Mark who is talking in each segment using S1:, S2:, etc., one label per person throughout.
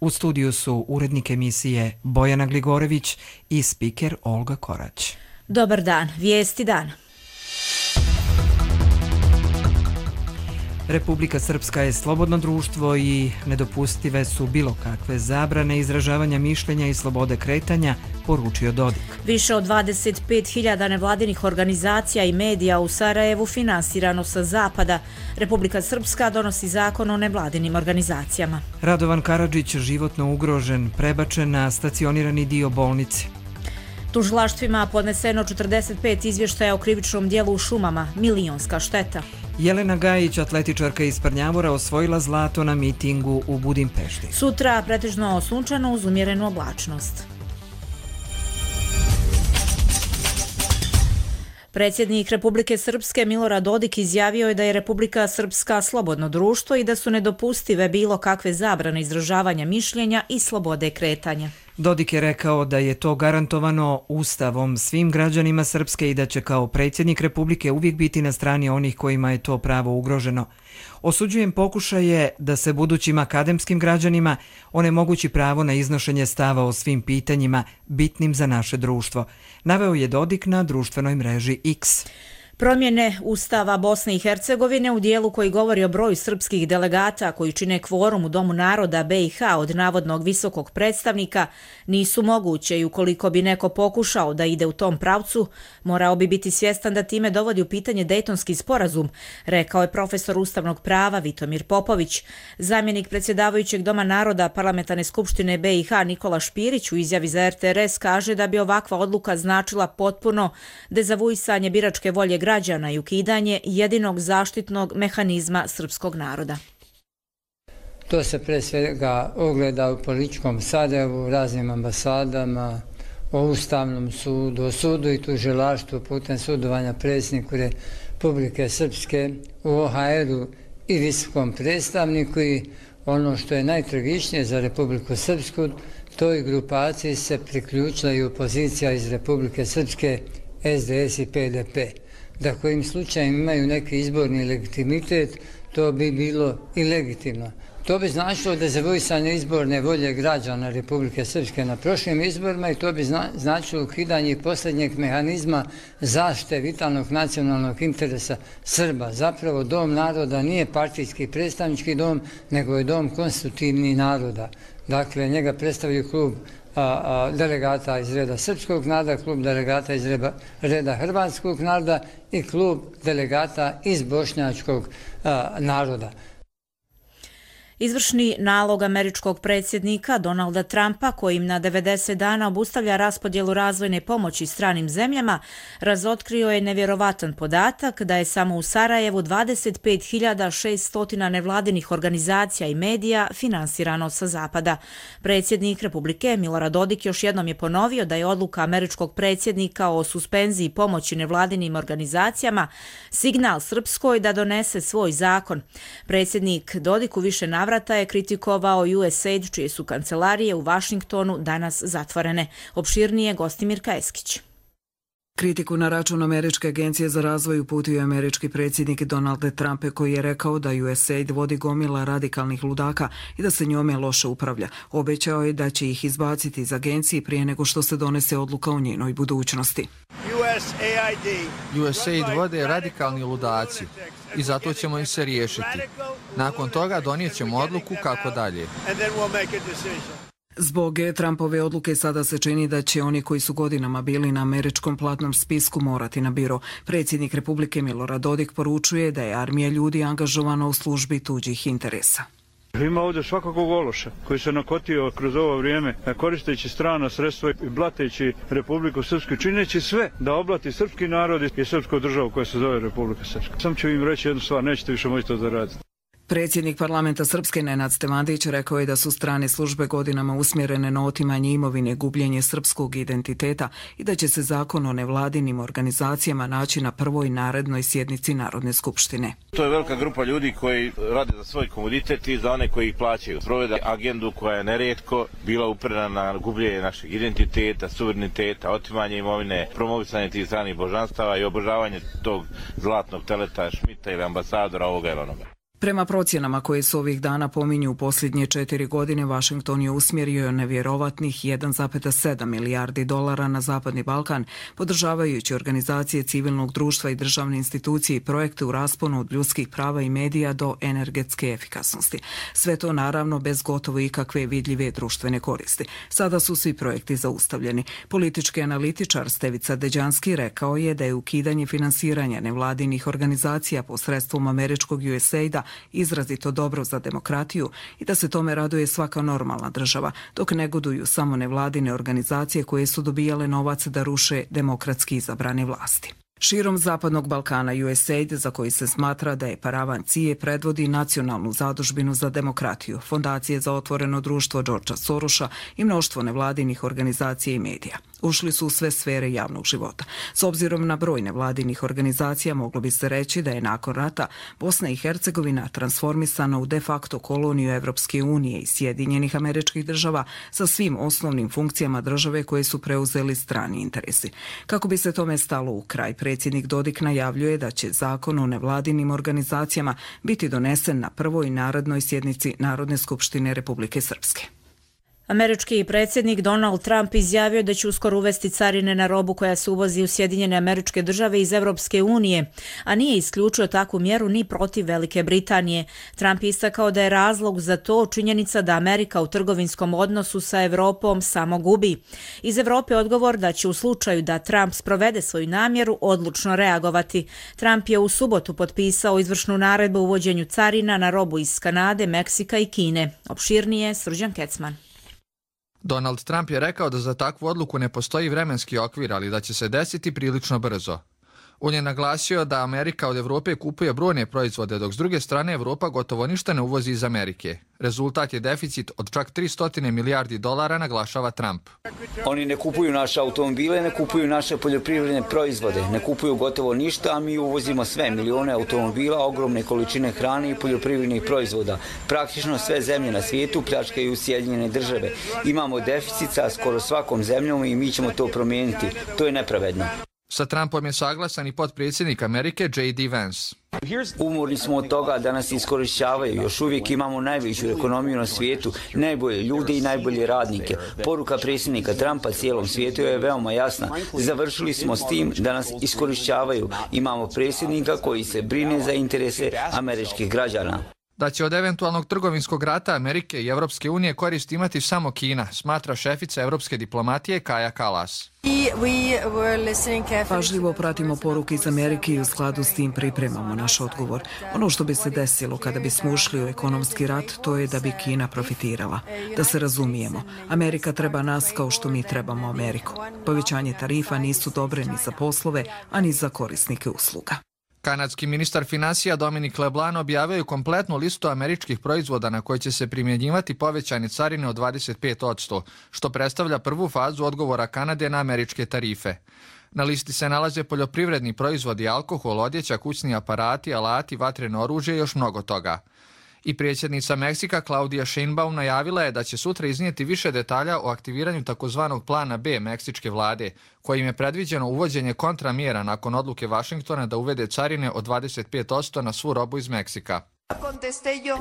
S1: U studiju su urednik emisije Bojana Gligorević i spiker Olga Korać.
S2: Dobar dan, vijesti dana.
S1: Republika Srpska je slobodno društvo i nedopustive su bilo kakve zabrane izražavanja mišljenja i slobode kretanja, poručio Dodik.
S2: Više od 25.000 nevladinih organizacija i medija u Sarajevu finansirano sa zapada. Republika Srpska donosi zakon o nevladinim organizacijama.
S1: Radovan Karadžić životno ugrožen, prebačen na stacionirani dio bolnice.
S2: Tužilaštvima podneseno 45 izvještaja o krivičnom dijelu u šumama, milionska šteta.
S1: Jelena Gajić, atletičarka iz Prnjavora, osvojila zlato na mitingu u Budimpešti.
S2: Sutra pretežno sunčano uz umjerenu oblačnost. Predsjednik Republike Srpske Milorad Dodik izjavio je da je Republika Srpska slobodno društvo i da su nedopustive bilo kakve zabrane izražavanja mišljenja i slobode kretanja.
S1: Dodik je rekao da je to garantovano Ustavom svim građanima Srpske i da će kao predsjednik Republike uvijek biti na strani onih kojima je to pravo ugroženo. Osuđujem pokušaje da se budućim akademskim građanima onemogući pravo na iznošenje stava o svim pitanjima bitnim za naše društvo, naveo je Dodik na društvenoj mreži X.
S2: Promjene Ustava Bosne i Hercegovine u dijelu koji govori o broju srpskih delegata koji čine kvorum u Domu naroda BiH od navodnog visokog predstavnika nisu moguće i ukoliko bi neko pokušao da ide u tom pravcu, morao bi biti svjestan da time dovodi u pitanje Dejtonski sporazum, rekao je profesor ustavnog prava Vitomir Popović. Zamjenik predsjedavajućeg Doma naroda Parlamentarne skupštine BiH Nikola Špirić u izjavi za RTRS kaže da bi ovakva odluka značila potpuno dezavuisanje biračke volje građana i ukidanje jedinog zaštitnog mehanizma srpskog naroda.
S3: To se pre svega ogleda u političkom sadevu, raznim ambasadama, o Ustavnom sudu, o sudu i tužilaštvu putem sudovanja predsjedniku Republike Srpske, u OHR-u i visokom predstavniku i ono što je najtragičnije za Republiku Srpsku, toj grupaciji se priključila i opozicija iz Republike Srpske, SDS i PDP. Da kojim slučajem imaju neki izborni legitimitet, to bi bilo i legitimno. To bi značilo dezavuisanje izborne volje građana Republike Srpske na prošlim izborima i to bi značilo ukidanje posljednjeg mehanizma zaštite vitalnog nacionalnog interesa Srba. Zapravo Dom naroda nije partijski predstavnički dom, nego je dom konstitutivnih naroda. Dakle, njega predstavljaju klub delegata iz reda srpskog naroda, klub delegata iz reda hrvatskog naroda i klub delegata iz bošnjačkog naroda.
S2: Izvršni nalog američkog predsjednika Donalda Trumpa, kojim na 90 dana obustavlja raspodjelu razvojne pomoći stranim zemljama, razotkrio je nevjerovatan podatak da je samo u Sarajevu 25.600 nevladinih organizacija i medija finansirano sa zapada. Predsjednik Republike Milorad Dodik još jednom je ponovio da je odluka američkog predsjednika o suspenziji pomoći nevladinim organizacijama signal Srpskoj da donese svoj zakon. Predsjednik Dodik u više navrata je kritikovao USAID, čije su kancelarije u Vašingtonu danas zatvorene. Opširnije Gostimir Kajeskić.
S4: Kritiku na račun Američke agencije za razvoj uputio je američki predsjednik Donald Trump, koji je rekao da USAID vodi gomila radikalnih ludaka i da se njome loše upravlja. Obećao je da će ih izbaciti iz agencije prije nego što se donese odluka o njenoj budućnosti.
S5: USAID vode radikalni ludaci i zato ćemo ih se riješiti. Nakon toga donijet ćemo odluku kako dalje.
S4: Zbog Trumpove odluke sada se čini da će oni koji su godinama bili na američkom platnom spisku morati na biro. Predsjednik Republike Milorad Dodik poručuje da je armija ljudi angažovana u službi tuđih interesa.
S6: Ima ovdje svakakvog ološa koji se nakotio kroz ovo vrijeme koristeći strana sredstva i blateći Republiku Srpsku, čineći sve da oblati srpski narod i srpsku državu koja se zove Republika Srpska. Sam ću im reći jednu stvar, nećete više moći to zaraditi.
S4: Predsjednik parlamenta Srpske Nenad Stevandić rekao je da su strane službe godinama usmjerene na otimanje imovine, gubljenje srpskog identiteta i da će se zakon o nevladinim organizacijama naći na prvoj narednoj sjednici Narodne skupštine.
S7: To je velika grupa ljudi koji rade za svoj komoditet i za one koji ih plaćaju. Provede agendu koja je nerijetko bila uprena na gubljenje našeg identiteta, suvereniteta, otimanje imovine, promovisanje tih stranih božanstava i obožavanje tog zlatnog teleta Šmita ili ambasadora ovoga ili onoga.
S4: Prema procjenama koje su ovih dana pominju u posljednje 4 godine, Washington je usmjerio nevjerovatnih 1,7 milijardi dolara na Zapadni Balkan, podržavajući organizacije civilnog društva i državne institucije i projekte u rasponu od ljudskih prava i medija do energetske efikasnosti. Sve to naravno bez gotovo ikakve vidljive društvene koristi. Sada su svi projekti zaustavljeni. Politički analitičar Stevica Deđanski rekao je da je ukidanje finansiranja nevladinih organizacija posredstvom američkog USAID-a izrazito dobro za demokratiju i da se tome raduje svaka normalna država, dok negoduju samo nevladine organizacije koje su dobijale novac da ruše demokratski izabrane vlasti. Širom Zapadnog Balkana USAID, za koji se smatra da je paravan CIA, predvodi Nacionalnu zadužbinu za demokratiju, Fondacije za otvoreno društvo Georgea Sorosa i mnoštvo nevladinih organizacija i medija. Ušli su u sve sfere javnog života. S obzirom na broj nevladinih organizacija, moglo bi se reći da je nakon rata Bosna i Hercegovina transformisana u de facto koloniju Evropske unije i Sjedinjenih Američkih Država sa svim osnovnim funkcijama države koje su preuzeli strani interesi. Kako bi se tome stalo u kraj, predsjednik Dodik najavljuje da će zakon o nevladinim organizacijama biti donesen na prvoj narednoj sjednici Narodne skupštine Republike Srpske.
S2: Američki predsjednik Donald Trump izjavio da će uskoro uvesti carine na robu koja se uvozi u Sjedinjene Američke Države iz Evropske unije, a nije isključio takvu mjeru ni protiv Velike Britanije. Trump istakao da je razlog za to činjenica da Amerika u trgovinskom odnosu sa Evropom samo gubi. Iz Evrope odgovor da će u slučaju da Trump sprovede svoju namjeru odlučno reagovati. Trump je u subotu potpisao izvršnu naredbu o uvođenju carina na robu iz Kanade, Meksika i Kine. Opširnije Srđan Kecman.
S5: Donald Trump je rekao da za takvu odluku ne postoji vremenski okvir, ali da će se desiti prilično brzo. On je naglasio da Amerika od Evrope kupuje brojne proizvode, dok s druge strane Evropa gotovo ništa ne uvozi iz Amerike. Rezultat je deficit od čak 300 milijardi dolara, naglašava Trump.
S8: Oni ne kupuju naše automobile, ne kupuju naše poljoprivredne proizvode, ne kupuju gotovo ništa, a mi uvozimo sve, milione automobila, ogromne količine hrane i poljoprivrednih proizvoda. Praktično sve zemlje na svijetu pljačkaju Sjedinjene Države. Imamo deficit sa skoro svakom zemljom i mi ćemo to promijeniti. To je nepravedno.
S5: Sa Trumpom je saglasan i potpredsjednik Amerike J.D. Vance.
S8: Umorni smo od toga da nas iskorišćavaju. Još uvijek imamo najveću ekonomiju na svijetu, najbolje ljude i najbolje radnike. Poruka predsjednika Trumpa cijelom svijetu je veoma jasna. Završili smo s tim da nas iskorišćavaju. Imamo predsjednika koji se brine za interese američkih građana.
S5: Da će od eventualnog trgovinskog rata Amerike i Evropske unije korist imati samo Kina, smatra šefica evropske diplomatije Kaja Kallas.
S4: Pažljivo pratimo poruke iz Amerike i u skladu s tim pripremamo naš odgovor. Ono što bi se desilo kada bismo ušli u ekonomski rat, to je da bi Kina profitirala. Da se razumijemo, Amerika treba nas kao što mi trebamo Ameriku. Povećanje tarifa nisu dobre ni za poslove, a ni za korisnike usluga.
S5: Kanadski ministar finansija Dominic LeBlanc objavio je kompletnu listu američkih proizvoda na koje će se primjenjivati povećane carine od 25%, što predstavlja prvu fazu odgovora Kanade na američke tarife. Na listi se nalaze poljoprivredni proizvodi, alkohol, odjeća, kućni aparati, alati, vatreno oružje i još mnogo toga. I predsjednica Meksika Claudia Sheinbaum najavila je da će sutra iznijeti više detalja o aktiviranju takozvanog plana B meksičke vlade, kojim je predviđeno uvođenje kontramjera nakon odluke Vašingtona da uvede carine od 25% na svu robu iz Meksika.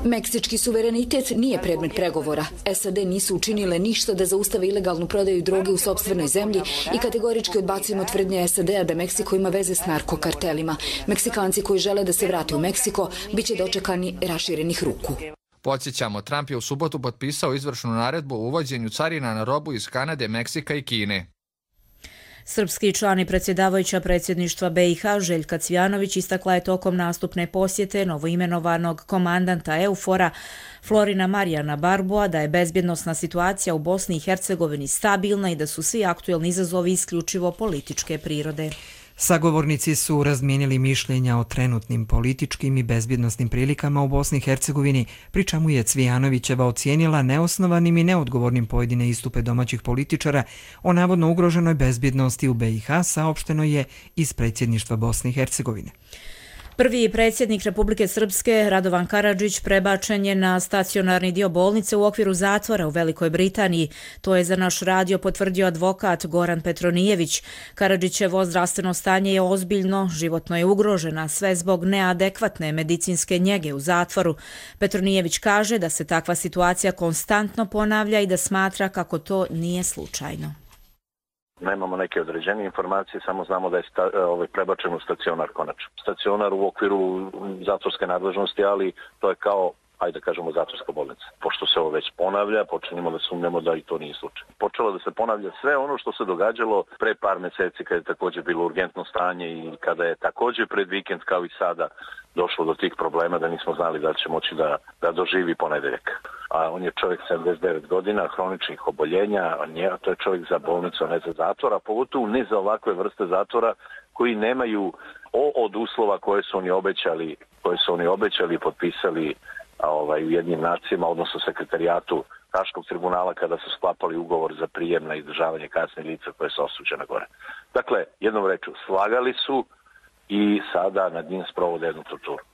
S9: Meksički suverenitet nije predmet pregovora. SAD nisu učinile ništa da zaustave ilegalnu prodaju droge u sopstvenoj zemlji i kategorički odbacujemo tvrdnje SAD-a da Meksiko ima veze s narkokartelima. Meksikanci koji žele da se vrate u Meksiko biće dočekani raširenih ruku.
S5: Podsjećamo, Trump je u subotu potpisao izvršnu naredbu o uvođenju carina na robu iz Kanade, Meksika i Kine.
S2: Srpski član i predsjedavajuća predsjedništva BiH Željka Cvijanović istakla je tokom nastupne posjete novoimenovanog komandanta EUFOR-a Florina Marijana Barboa da je bezbjednosna situacija u Bosni i Hercegovini stabilna i da su svi aktuelni izazovi isključivo političke prirode.
S1: Sagovornici su razmijenili mišljenja o trenutnim političkim i bezbjednosnim prilikama u Bosni i Hercegovini, pri čemu je Cvijanovićeva ocijenila neosnovanim i neodgovornim pojedine istupe domaćih političara o navodno ugroženoj bezbjednosti u BiH, saopšteno je iz predsjedništva Bosne i Hercegovine.
S2: Prvi predsjednik Republike Srpske, Radovan Karadžić, prebačen je na stacionarni dio bolnice u okviru zatvora u Velikoj Britaniji. To je za naš radio potvrdio advokat Goran Petronijević. Karadžićevo zdravstveno stanje je ozbiljno, životno je ugrožena, sve zbog neadekvatne medicinske njege u zatvoru. Petronijević kaže da se takva situacija konstantno ponavlja i da smatra kako to nije slučajno.
S10: Nemamo neke određene informacije, samo znamo da je prebačen u stacionar konačno. Stacionar u okviru zatvorske nadležnosti, ali to je kao, ajde da kažemo, zatvorska bolnica. Pošto se ovo već ponavlja, počinjemo da sumnjamo da i to nije slučaj. Počelo da se ponavlja sve ono što se događalo pre par meseci kada je također bilo urgentno stanje i kada je također pred vikend kao i sada došlo do tih problema da nismo znali da će moći da doživi ponedeljak. A on je čovjek 79 godina, hroničnih oboljenja, to je čovjek za bolnicu, a ne za zatvor, a pogotovo ne za ovakve vrste zatvora koji nemaju od uslova koje su oni obećali i potpisali u jednim nacijama, odnosno sekretarijatu Haškog tribunala kada su sklapali ugovor za prijem na izdržavanje kazne lica koje su osuđena gore. Dakle, jednom rečju, slagali su i sada nad njim sprovode jednu torturu.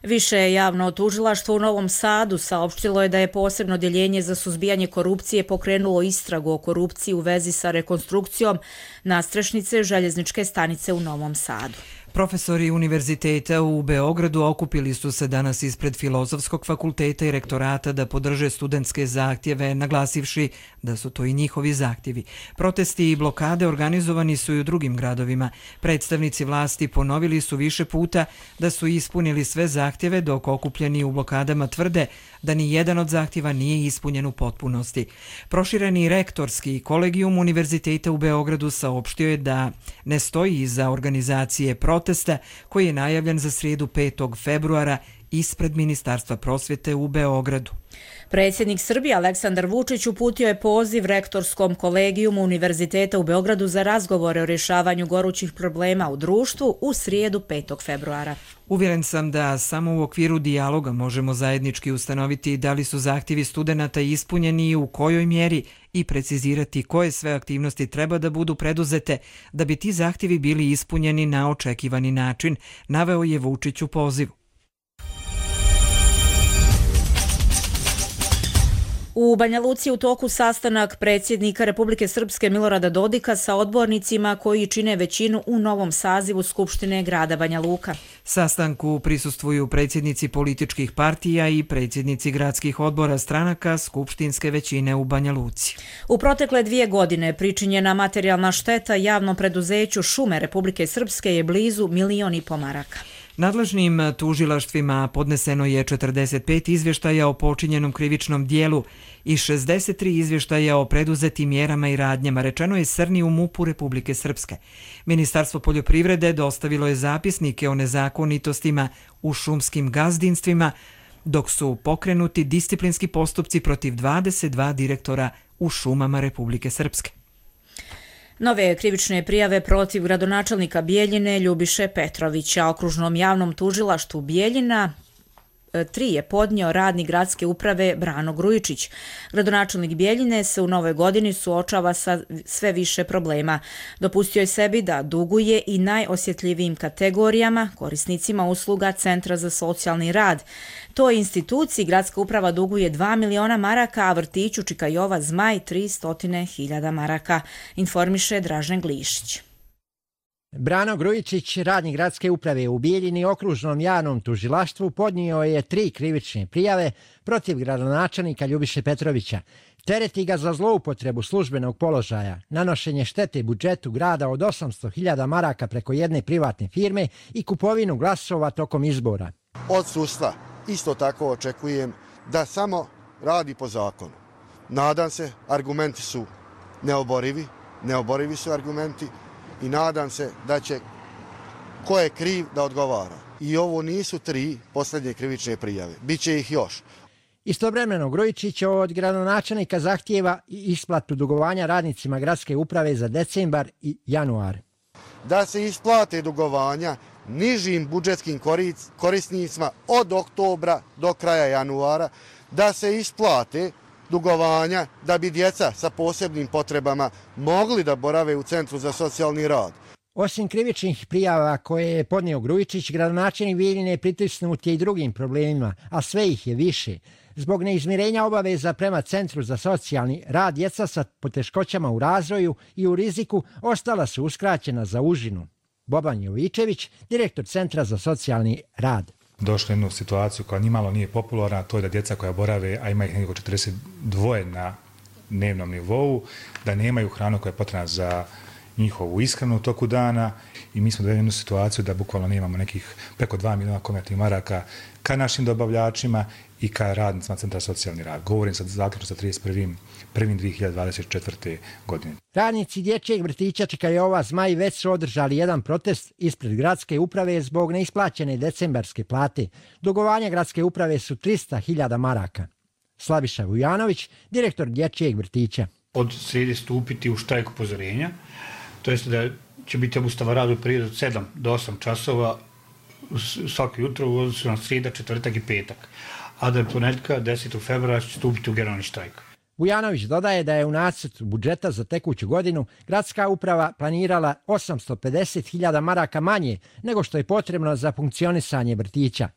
S2: Više javno tužilaštvo u Novom Sadu saopštilo je da je posebno odjeljenje za suzbijanje korupcije pokrenulo istragu o korupciji u vezi sa rekonstrukcijom nadstrešnice željezničke stanice u Novom Sadu.
S1: Profesori univerziteta u Beogradu okupili su se danas ispred Filozofskog fakulteta i rektorata da podrže studentske zahtjeve, naglasivši da su to i njihovi zahtjevi. Protesti i blokade organizovani su i u drugim gradovima. Predstavnici vlasti ponovili su više puta da su ispunili sve zahtjeve, dok okupljeni u blokadama tvrde da ni jedan od zahtjeva nije ispunjen u potpunosti. Prošireni rektorski kolegijum univerziteta u Beogradu saopštio je da ne stoji iza organizacije protesta koji je najavljen za srijedu 5. februara ispred Ministarstva prosvjete u Beogradu.
S2: Predsjednik Srbije Aleksandar Vučić uputio je poziv rektorskom kolegijumu Univerziteta u Beogradu za razgovore o rješavanju gorućih problema u društvu u srijedu 5. februara.
S1: Uvjeren sam da samo u okviru dijaloga možemo zajednički ustanoviti da li su zahtjevi studenata ispunjeni i u kojoj mjeri i precizirati koje sve aktivnosti treba da budu preduzete da bi ti zahtjevi bili ispunjeni na očekivani način, naveo je Vučić u pozivu.
S2: U Banja Luci u toku sastanak predsjednika Republike Srpske Milorada Dodika sa odbornicima koji čine većinu u novom sazivu Skupštine grada Banja Luka.
S1: Sastanku prisustvuju predsjednici političkih partija i predsjednici gradskih odbora stranaka skupštinske većine u Banja Luci.
S2: U protekle 2 godine pričinjena materijalna šteta javnom preduzeću Šume Republike Srpske je blizu 1,5 miliona maraka.
S1: Nadležnim tužilaštvima podneseno je 45 izvještaja o počinjenom krivičnom dijelu i 63 izvještaja o preduzetim mjerama i radnjama, rečeno je Srni u MUP-u Republike Srpske. Ministarstvo poljoprivrede dostavilo je zapisnike o nezakonitostima u šumskim gazdinstvima, dok su pokrenuti disciplinski postupci protiv 22 direktora u šumama Republike Srpske.
S2: Nove krivične prijave protiv gradonačelnika Bijeljine Ljubiše Petrovića okružnom javnom tužilaštvu Bijeljina 3 je podnio radnik gradske uprave Brano Grujičić. Gradonačelnik Bijeljine se u novoj godini suočava sa sve više problema. Dopustio je sebi da duguje i najosjetljivijim kategorijama, korisnicima usluga Centra za socijalni rad. Toj instituciji gradska uprava duguje 2 miliona maraka, a vrtiću Čika Jova Zmaj 300.000 maraka, informiše Dražen Glišić.
S11: Brano Grujičić, radnik gradske uprave u Bijeljini okružnom javnom tužilaštvu, podnio je 3 krivične prijave protiv gradonačelnika Ljubiše Petrovića. Tereti ga za zloupotrebu službenog položaja, nanošenje štete budžetu grada od 800.000 maraka preko jedne privatne firme i kupovinu glasova tokom izbora.
S12: Od sudstva isto tako očekujem da samo radi po zakonu. Nadam se, argumenti su neoborivi su argumenti, i nadam se da će ko je kriv da odgovara. I ovo nisu 3 posljednje krivične prijave. Biće ih još.
S11: Istovremeno Grujičić od gradonačelnika zahtijeva i isplatu dugovanja radnicima gradske uprave za decembar i januar.
S12: Da se isplate dugovanja nižim budžetskim korisnicima od oktobra do kraja januara, da se isplate dugovanja da bi djeca sa posebnim potrebama mogli da borave u Centru za socijalni rad.
S11: Osim krivičnih prijava koje je podnio Grujičić, gradonačelnik Bijeljine pritisnut je i drugim problemima, a sve ih je više. Zbog neizmirenja obaveza prema Centru za socijalni rad, djeca sa poteškoćama u razvoju i u riziku ostala su uskraćena za užinu. Boban Jovičević, direktor Centra za socijalni rad.
S13: Došli u jednu situaciju koja nimalo nije popularna, to je da djeca koja borave, a ima ih nekako 42 na dnevnom nivou, da nemaju hranu koja je potrebna za njihovu ishranu u toku dana i mi smo dovedeni u jednu situaciju da bukvalno nemamo nekih preko 2 miliona konvertnih maraka ka našim dobavljačima i ka radnicima Centra socijalni rad. Govorim sad zaključno sa 31.1.2024. godine.
S11: Radnici dječjeg vrtića Čikajova Zmaj već su održali jedan protest ispred gradske uprave zbog neisplaćene decembarske plate. Dugovanja gradske uprave su 300.000 maraka. Slaviša Vujanović, direktor dječjeg vrtića.
S14: Od srijede stupiti u štrajk upozorenja, to jest da će biti obustava rada u periodu od 7 do 8 časova svako jutro u odnosu na srijeda, četvrtak i petak, a da je ponedjeljka 10. februara će stupiti u generalni štrajk.
S11: Vujanović dodaje da je u nacrtu budžeta za tekuću godinu gradska uprava planirala 850.000 maraka manje nego što je potrebno za funkcionisanje vrtića.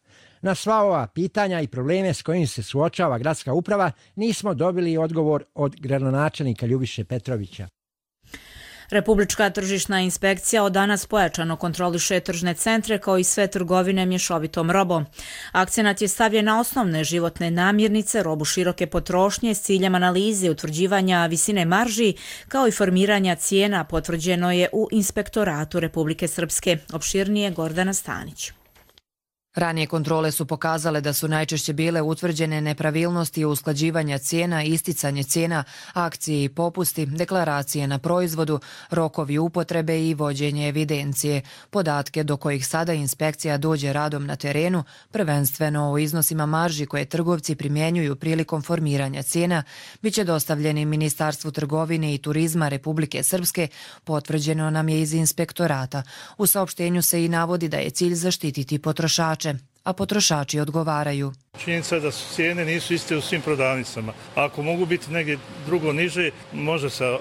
S11: Na sva ova pitanja i probleme s kojim se suočava gradska uprava nismo dobili odgovor od gradonačelnika Ljubiše Petrovića.
S2: Republička tržišna inspekcija od danas pojačano kontroliše tržne centre kao i sve trgovine mješovitom robom. Akcenat je stavljen na osnovne životne namirnice, robu široke potrošnje s ciljem analize utvrđivanja visine marži kao i formiranja cijena, potvrđeno je u Inspektoratu Republike Srpske. Opširnije Gordana Stanić.
S15: Ranije kontrole su pokazale da su najčešće bile utvrđene nepravilnosti usklađivanja cijena, isticanje cijena, akcije i popusti, deklaracije na proizvodu, rokovi upotrebe i vođenje evidencije. Podatke do kojih sada inspekcija dođe radom na terenu, prvenstveno o iznosima marži koje trgovci primjenjuju prilikom formiranja cijena, bit će dostavljeni Ministarstvu trgovine i turizma Republike Srpske, potvrđeno nam je iz inspektorata. U saopštenju se i navodi da je cilj zaštititi potrošače, a potrošači odgovaraju.
S16: Činjenica je da su cijene nisu iste u svim prodavnicama. Ako mogu biti negdje drugo niže, može se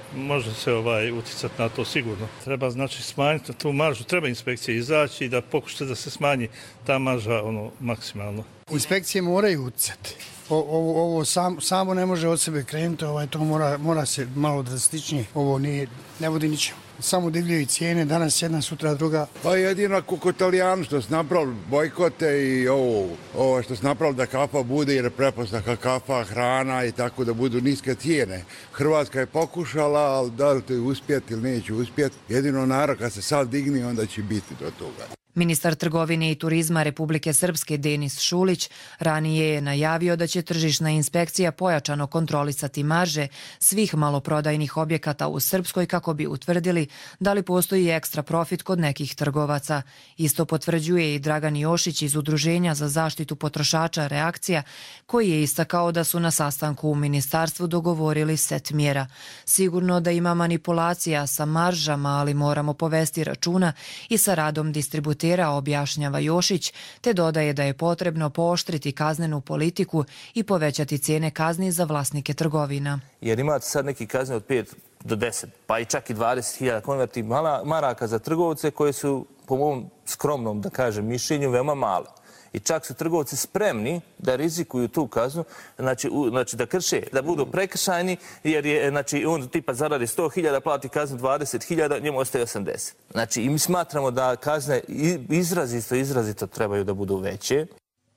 S16: uticati na to sigurno. Treba znači smanjiti tu maržu, treba inspekcija izaći i da pokušate da se smanji ta marža maksimalno.
S17: Inspekcije moraju uticati. Ovo samo ne može od sebe krenuti, to mora se malo drastičnije. Ovo ne vodi ničemu. Samo divljaju cijene, danas jedna, sutra druga.
S18: Pa jedino kako Italijani što su napravili bojkote i ovo što su napravili da kafa bude jer je prepostavka kafa, hrana i tako da budu niske cijene. Hrvatska je pokušala, ali da li to je uspjeti ili neće uspjeti. Jedino narod kad se sad digni onda će biti do toga.
S15: Ministar trgovine i turizma Republike Srpske Denis Šulić ranije je najavio da će tržišna inspekcija pojačano kontrolisati marže svih maloprodajnih objekata u Srpskoj kako bi utvrdili da li postoji ekstra profit kod nekih trgovaca. Isto potvrđuje i Dragan Jošić iz Udruženja za zaštitu potrošača Reakcija, koji je istakao da su na sastanku u ministarstvu dogovorili set mjera. Sigurno da ima manipulacija sa maržama, ali moramo povesti računa i sa radom distributera, objašnjava Jošić, te dodaje da je potrebno pooštriti kaznenu politiku i povećati cijene kazni za vlasnike trgovina.
S19: Jer imate sad neki kazne od 5 do 10, pa i čak i 20.000 konverti maraka za trgovce koje su, po mom skromnom, da kažem, mišljenju veoma male. I čak su trgovci spremni da rizikuju tu kaznu, znači da krše, da budu prekršajni, jer je, znači, on tipa zaradi 100.000, plati kaznu 20.000, njemu ostaje 80. Znači, i mi smatramo da kazne izrazito trebaju da budu veće.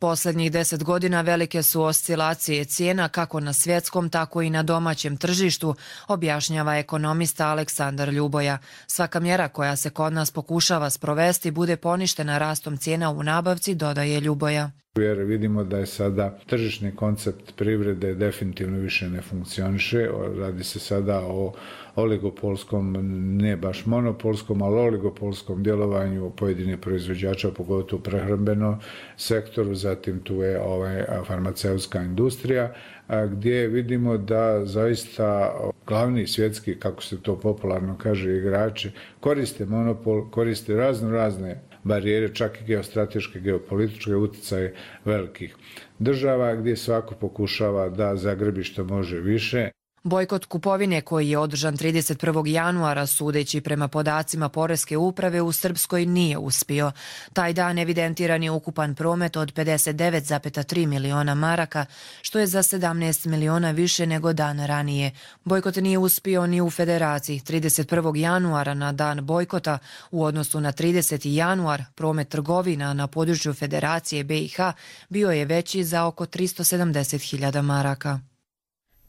S15: Posljednjih 10 godina velike su oscilacije cijena kako na svjetskom, tako i na domaćem tržištu, objašnjava ekonomista Aleksandar Ljuboja. Svaka mjera koja se kod nas pokušava sprovesti bude poništena rastom cijena u nabavci, dodaje Ljuboja.
S20: Jer vidimo da je sada tržišni koncept privrede definitivno više ne funkcioniše. Radi se sada o oligopolskom, ne baš monopolskom, ali oligopolskom djelovanju pojedinih proizvođača, pogotovo u prehrambenom sektoru, zatim tu je farmaceutska industrija, gdje vidimo da zaista glavni svjetski, kako se to popularno kaže, igrači koriste monopol, koriste razne barijere, čak i geostrateške, geopolitičke utjecaje velikih država, gdje svako pokušava da zagrbi što može više.
S15: Bojkot kupovine koji je održan 31. januara sudeći prema podacima Poreske uprave u Srpskoj nije uspio. Taj dan evidentiran je ukupan promet od 59,3 miliona maraka, što je za 17 miliona više nego dan ranije. Bojkot nije uspio ni u Federaciji. 31. januara na dan bojkota u odnosu na 30. januar promet trgovina na području Federacije BiH bio je veći za oko 370.000 maraka.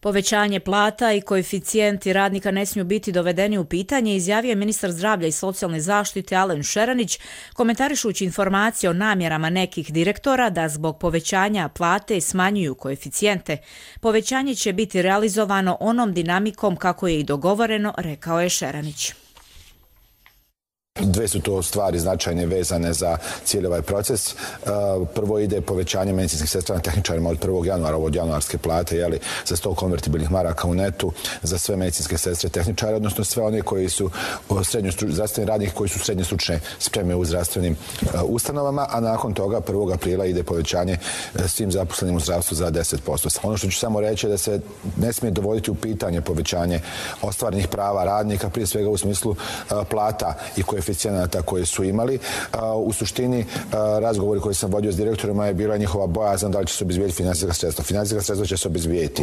S2: Povećanje plata i koeficijenti radnika ne smiju biti dovedeni u pitanje, izjavio je ministar zdravlja i socijalne zaštite Alen Šeranić, komentarišući informacije o namjerama nekih direktora da zbog povećanja plate smanjuju koeficijente. Povećanje će biti realizovano onom dinamikom kako je i dogovoreno, rekao je Šeranić.
S21: Dve su to stvari značajne vezane za cijeli ovaj proces. Prvo ide povećanje medicinskih sestara na tehničarima od 1. januara, od januarske plate, za 100 konvertibilnih maraka u netu za sve medicinske sestre tehničare, odnosno sve one koji su zdravstveni radnici koji su srednje stručne spreme u zdravstvenim ustanovama, a nakon toga 1. aprila ide povećanje svim zaposlenim u zdravstvu za 10%. Ono što ću samo reći je da se ne smije dovoditi u pitanje povećanje ostvarenih prava radnika, prije svega u smislu plata i koeficijenata koje su imali. U suštini, razgovori koji sam vodio s direktorima je bila njihova bojazan da li će se obezbijediti finansijska sredstva. Finansijska sredstva će se obezbijediti.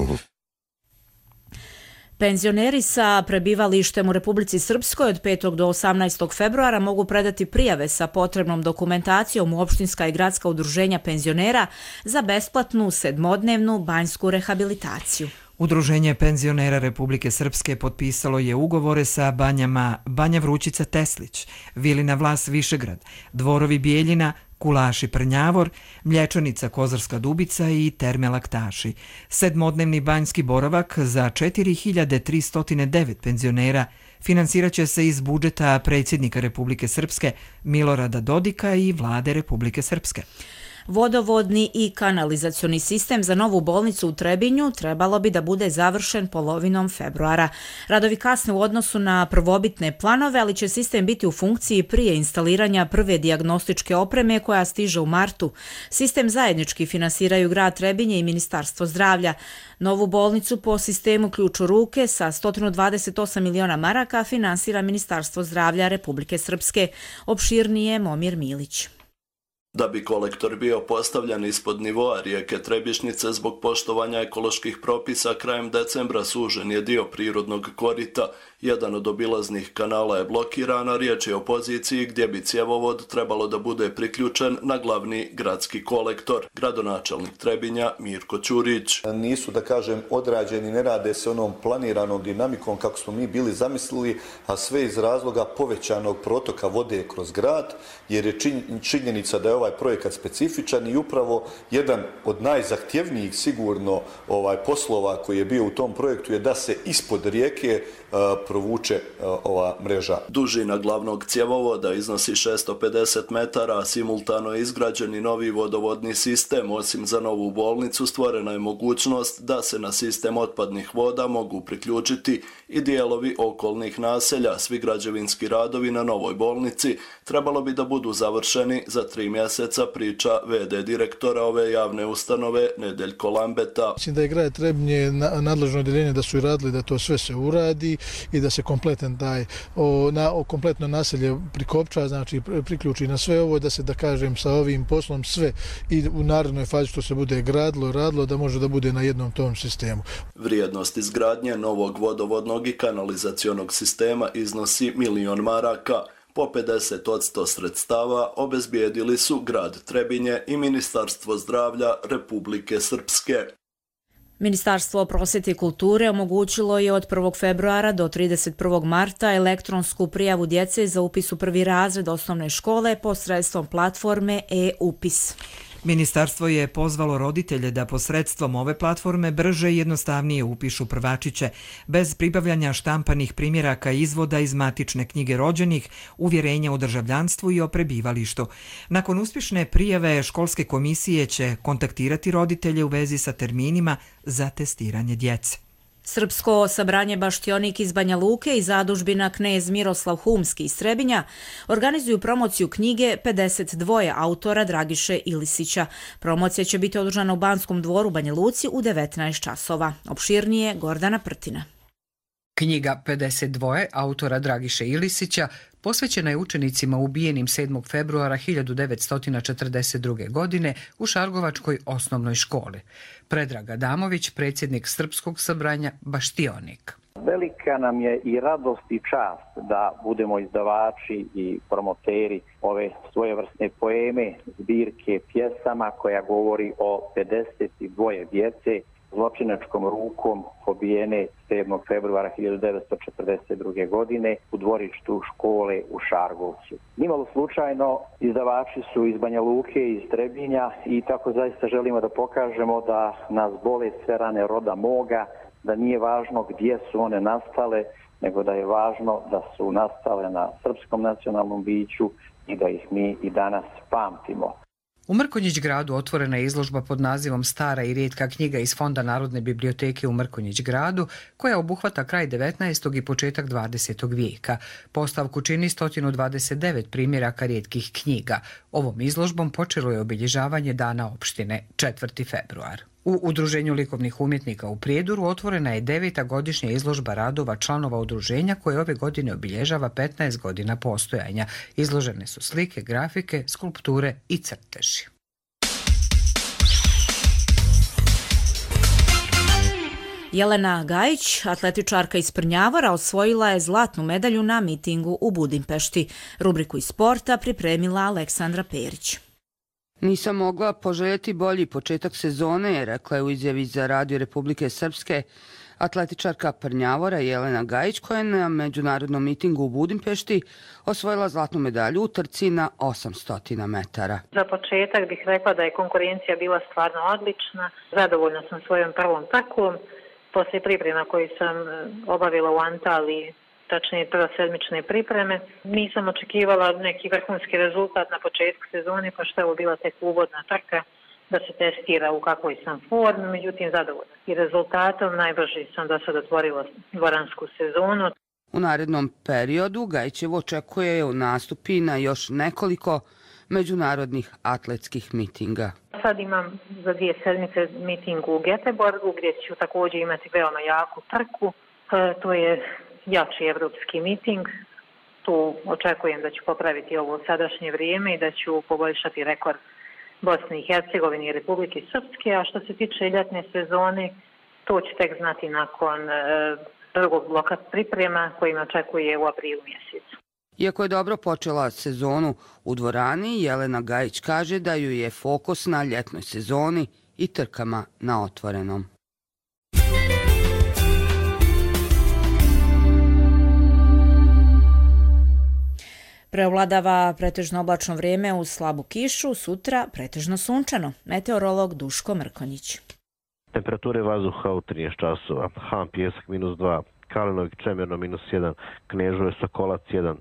S2: Penzioneri sa prebivalištem u Republici Srpskoj od 5. do 18. februara mogu predati prijave sa potrebnom dokumentacijom u opštinska i gradska udruženja penzionera za besplatnu sedmodnevnu banjsku rehabilitaciju.
S1: Udruženje penzionera Republike Srpske potpisalo je ugovore sa banjama Banja Vrućica Teslić, Vilina Vlas Višegrad, Dvorovi Bijeljina, Kulaši Prnjavor, Mlječanica Kozarska Dubica i Terme Laktaši. Sedmodnevni banjski boravak za 4309 penzionera finansirat će se iz budžeta predsjednika Republike Srpske Milorada Dodika i vlade Republike Srpske.
S2: Vodovodni i kanalizacioni sistem za novu bolnicu u Trebinju trebalo bi da bude završen polovinom februara. Radovi kasne u odnosu na prvobitne planove, ali će sistem biti u funkciji prije instaliranja prve dijagnostičke opreme koja stiže u martu. Sistem zajednički finansiraju grad Trebinje i Ministarstvo zdravlja. Novu bolnicu po sistemu ključ u ruke sa 128 miliona maraka finansira Ministarstvo zdravlja Republike Srpske. Opširnije Momir Milić.
S22: Da bi kolektor bio postavljen ispod nivoa rijeke Trebišnjice zbog poštovanja ekoloških propisa, krajem decembra sužen je dio prirodnog korita. Jedan od obilaznih kanala je blokiran, a riječ je o poziciji gdje bi cjevovod trebalo da bude priključen na glavni gradski kolektor. Gradonačelnik Trebinja Mirko Ćurić.
S23: Nisu, da kažem, odrađeni, ne rade se onom planiranom dinamikom kako smo mi bili zamislili, a sve iz razloga povećanog protoka vode kroz grad, jer je činjenica da je ovaj projekat specifičan i upravo jedan od najzahtjevnijih sigurno poslova koji je bio u tom projektu je da se ispod rijeke provuče ova mreža.
S22: Dužina glavnog cjevovoda iznosi 650 metara, a simultano je izgrađen i novi vodovodni sistem. Osim za novu bolnicu stvorena je mogućnost da se na sistem otpadnih voda mogu priključiti i dijelovi okolnih naselja. Svi građevinski radovi na novoj bolnici trebalo bi da budu završeni za 3 mjeseca, priča VD direktora ove javne ustanove Nedeljko Lambeta.
S24: Mislim da je grad Trebinje nadležno odjeljenje da su i radili da to sve se uradi i da se kompletno naselje prikopča, znači priključi na sve ovo, da se, da kažem, sa ovim poslom sve i u narednoj fazi što se bude radilo, da može da bude na jednom tom sistemu.
S22: Vrijednost izgradnje novog vodovodnog i kanalizacionog sistema iznosi 1 milion maraka. Po 50% sredstava obezbijedili su grad Trebinje i Ministarstvo zdravlja Republike Srpske.
S2: Ministarstvo prosvjete i kulture omogućilo je od 1. februara do 31. marta elektronsku prijavu djece za upis u prvi razred osnovne škole posredstvom platforme e-upis.
S1: Ministarstvo je pozvalo roditelje da posredstvom ove platforme brže i jednostavnije upišu prvačiće, bez pribavljanja štampanih primjeraka izvoda iz matične knjige rođenih, uvjerenja o državljanstvu i o prebivalištu. Nakon uspješne prijave, školske komisije će kontaktirati roditelje u vezi sa terminima za testiranje djece.
S2: Srpsko sabranje Baštionik iz Banja Luke i zadužbina Knez Miroslav Humski iz Trebinja organizuju promociju knjige 52 autora Dragiše Ilisića. Promocija će biti održana u Banskom dvoru Banja Luci u 19 časova. Opširnije Gordana Prtina.
S3: Knjiga 52 autora Dragiše Ilisića posvećena je učenicima ubijenim 7. februara 1942. godine u Šargovačkoj osnovnoj školi. Predrag Adamović, predsjednik Srpskog sabranja Baštionik.
S6: Velika nam je i radost i čast da budemo izdavači i promoteri ove svojevrsne poeme, zbirke pjesama koja govori o 52 djece zločinačkom rukom pobijene 7. februara 1942. godine u dvorištu škole u Šargovcu. Nimalo slučajno izdavači su iz Banja Luke i iz Trebinja i tako zaista želimo da pokažemo da nas bole sve rane roda moga, da nije važno gdje su one nastale, nego da je važno da su nastale na srpskom nacionalnom biću i da ih mi i danas pamtimo.
S3: U Mrkonjić gradu otvorena je izložba pod nazivom Stara i rijetka knjiga iz Fonda Narodne biblioteke u Mrkonjić gradu, koja obuhvata kraj 19. i početak 20. vijeka. Postavku čini 129 primjeraka rijetkih knjiga. Ovom izložbom počelo je obilježavanje Dana opštine 4. februar. U Udruženju likovnih umjetnika u Prijedoru otvorena je 9. godišnja izložba radova članova udruženja koje ove godine obilježava 15 godina postojanja. Izložene su slike, grafike, skulpture i crteži.
S2: Jelena Gajić, atletičarka iz Prnjavora, osvojila je zlatnu medalju na mitingu u Budimpešti. Rubriku iz sporta pripremila Aleksandra Perić.
S7: Nisam mogla poželjeti bolji početak sezone, rekla je u izjavi za Radio Republike Srpske atletičarka Prnjavora Jelena Gajić, koja je na međunarodnom mitingu u Budimpešti osvojila zlatnu medalju u trci na 800 metara.
S8: Za početak bih rekla da je konkurencija bila stvarno odlična. Zadovoljna sam svojom prvom trkom. Poslije priprema koju sam obavila u Antaliji, tačnije prvosedmične pripreme, nisam očekivala neki vrhunski rezultat na početku sezone, pa što je ovo bila tek uvodna trka da se testira u kakvoj sam formi, međutim zadovoljna. I rezultatom najbrže sam do sada otvorila dvoransku sezonu.
S7: U narednom periodu Gajićev očekuje nastupi na još nekoliko međunarodnih atletskih mitinga.
S8: Sad imam za 2 sedmice miting u Göteborgu gdje ću također imati veoma jaku trku. To je jači evropski miting. Tu očekujem da ću popraviti ovo sadašnje vrijeme i da ću poboljšati rekord Bosne i Hercegovine i Republike Srpske. A što se tiče ljetne sezone, to ću tek znati nakon drugog bloka priprema koji me očekuje u aprilu mjesecu.
S7: Iako je dobro počela sezonu u dvorani, Jelena Gajić kaže da ju je fokus na ljetnoj sezoni i trkama na otvorenom.
S2: Preovladava pretežno oblačno vrijeme uz slabu kišu, sutra pretežno sunčano. Meteorolog Duško Mrkonjić.
S25: Temperature vazduha u 13 časova. Han Pjesak -2, Kalinovik Čemerno -1, Knežuje Sokolac 1,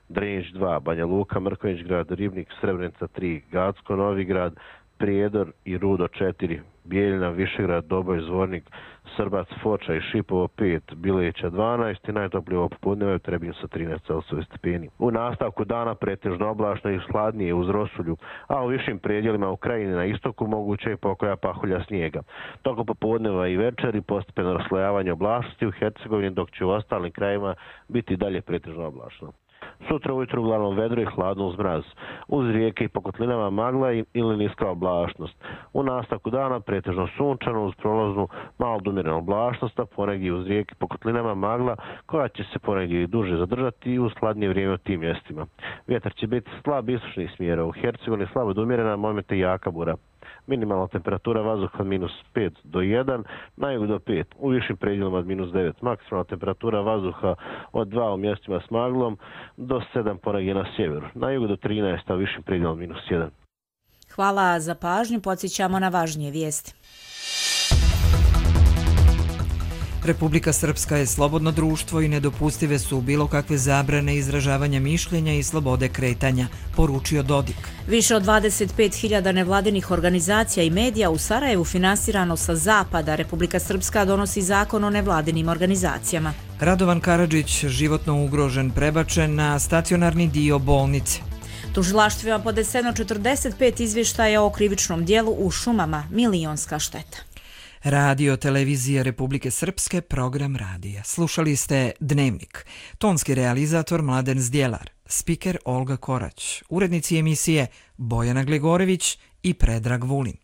S25: Drnić 2, Banja Luka, Mrkonjić grad, Ribnik, Srebrenica 3, Gacko, Novi grad, Prijedor i Rudo 4, Bijeljina, Višegrad, Doboj, Zvornik, Srbac, Foča i Šipovo 5, Bileća 12 i najtoplije ovo popodne u Trebinju sa 13 Celsijevi stepeni. U nastavku dana pretežno oblačno i hladnije uz rosulju, a u višim predjelima u krajini na istoku moguće i pokoja pahulja snijega. Tokom popodneva i večeri postepeno raslojavanje oblačnosti u Hercegovini, dok će u ostalim krajima biti dalje pretežno oblačno. Sutra ujutru uglavnom vedro i hladno uz mraz. Uz rijeke i po kotlinama magla ili niska oblačnost. U nastavku dana pretežno sunčano uz prolaznu malo umjerenu oblačnost, a ponegdje uz rijeke po kotlinama magla koja će se ponegdje i duže zadržati i uz hladnije vrijeme u tim mjestima. Vjetar će biti slab istočnih smjera. U Hercegovini slabo do umjerena, momente jaka bura. Minimalna temperatura vazduha -5 do 1, na jugu do 5, u višim predjelima od -9. Maksimalna temperatura vazduha od 2 u mjestima s maglom do 7 ponegdje na sjeveru, na jugu do 13, a u višim predjelima od -1.
S2: Hvala za pažnju, podsjećamo na važnije vijesti.
S1: Republika Srpska je slobodno društvo i nedopustive su bilo kakve zabrane izražavanja mišljenja i slobode kretanja, poručio Dodik.
S2: Više od 25.000 nevladinih organizacija i medija u Sarajevu finansirano sa zapada. Republika Srpska donosi zakon o nevladinim organizacijama.
S1: Radovan Karadžić životno ugrožen, prebačen na stacionarni dio bolnice.
S2: Tužilaštvima podneseno 45 izvještaja o krivičnom dijelu u šumama, milionska šteta.
S1: Radio Televizija Republike Srpske, program radija. Slušali ste Dnevnik. Tonski realizator Mladen Zdjelar, spiker Olga Korać, urednici emisije Bojana Glegorević i Predrag Vulin.